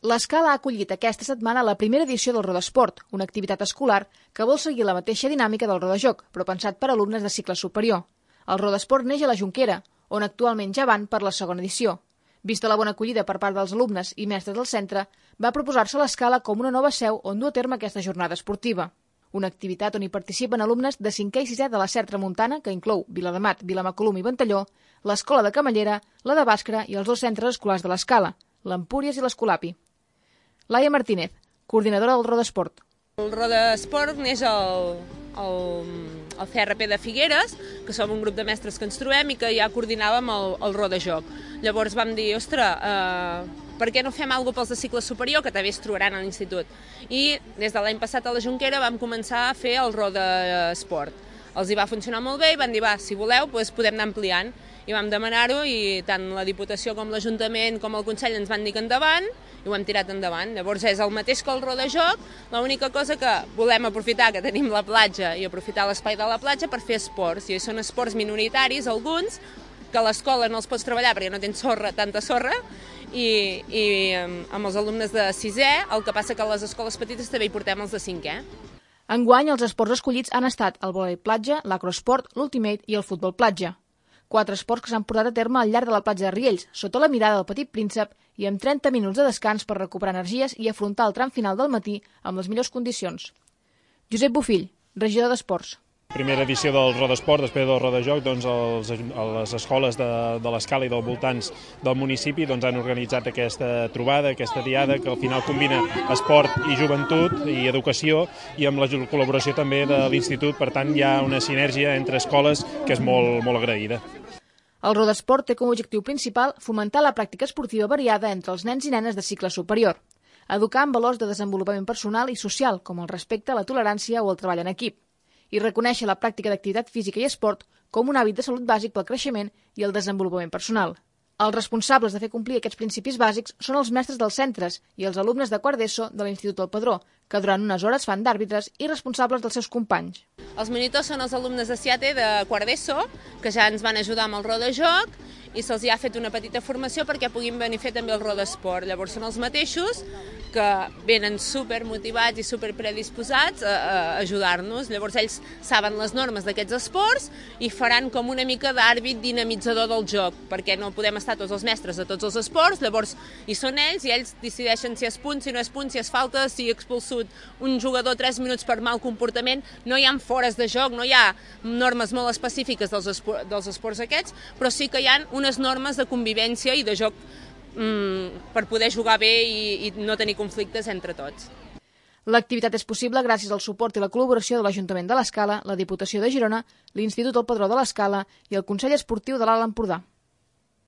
L'Escala ha acollit aquesta setmana la primera edició del Rodesport, una activitat escolar que vol seguir la mateixa dinàmica del Rodajoc, però pensat per alumnes de cicle superior. El Rodesport neix a la Jonquera, on actualment ja van per la segona edició. Vista la bona acollida per part dels alumnes i mestres del centre, va proposar-se l'Escala com una nova seu on dur a terme aquesta jornada esportiva. Una activitat on hi participen alumnes de 5è i 6è de la SER Tramuntana, que inclou Viladamat, Vilamacolum i Ventalló, l'Escola de Camallera, la de Bàscara i els 2 centres escolars de l'Escala, l'Empúries i l'Escolapi. Laia Martínez, coordinadora del Rodesport. El Rodesport neix al CRP de Figueres, que som un grup de mestres que ens trobem i que ja coordinàvem el Rodajoc. Llavors vam dir, ostres, per què no fem alguna cosa pels de cicle superior, que també es trobaran a l'institut? I des de l'any passat a la Jonquera vam començar a fer el Rodesport. Els hi va funcionar molt bé i van dir, va, si voleu, doncs podem anar ampliant. I vam demanar-ho i tant la Diputació com l'Ajuntament com el Consell ens van dir que endavant i ho hem tirat endavant. Llavors és el mateix que el Rodajoc, l'única cosa que volem aprofitar que tenim la platja i aprofitar l'espai de la platja per fer esports. I són esports minoritaris, alguns, que a l'escola no els pots treballar perquè no tens tanta sorra, i amb els alumnes de 6è, el que passa que a les escoles petites també hi portem els de 5è. Enguany, els esports escollits han estat el vòlei platja, l'acrosport, l'ultimate i el futbol platja. 4 esports que s'han portat a terme al llarg de la platja de Riells, sota la mirada del Petit Príncep i amb 30 minuts de descans per recuperar energies i afrontar el tram final del matí amb les millors condicions. Josep Bofill, regidor d'Esports. Primera edició del Rodesport, després del Rodajoc, les escoles de l'Escala i dels voltants del municipi han organitzat aquesta trobada, aquesta diada, que al final combina esport i joventut i educació, i amb la col·laboració també de l'Institut. Per tant, hi ha una sinergia entre escoles que és molt agraïda. El Rodesport té com a objectiu principal fomentar la pràctica esportiva variada entre els nens i nenes de cicle superior, educar en valors de desenvolupament personal i social, com el respecte, la tolerància o el treball en equip, i reconèixer la pràctica d'activitat física i esport com un hàbit de salut bàsic pel creixement i el desenvolupament personal. Els responsables de fer complir aquests principis bàsics són els mestres dels centres i els alumnes de quart d'ESO de l'Institut del Padró, que durant unes hores fan d'àrbitres i responsables dels seus companys. Els monitors són els alumnes de 7è de quart d'ESO, que ja ens van ajudar amb el Rodajoc, i se'ls ha fet una petita formació perquè puguin venir a fer també el Rodesport. Llavors són els mateixos que venen supermotivats i superpredisposats a ajudar-nos. Llavors ells saben les normes d'aquests esports i faran com una mica d'àrbit dinamitzador del joc, perquè no podem estar tots els mestres de tots els esports, llavors hi són ells i ells decideixen si és punt, si no és punt, si és falta, si ha expulsat un jugador 3 minuts per mal comportament. No hi ha fores de joc, no hi ha normes molt específiques dels esports aquests, però sí que hi ha unes normes de convivència i de joc per poder jugar bé i no tenir conflictes entre tots. L'activitat és possible gràcies al suport i la col·laboració de l'Ajuntament de l'Escala, la Diputació de Girona, l'Institut del Padró de l'Escala i el Consell Esportiu de l'Alt Empordà.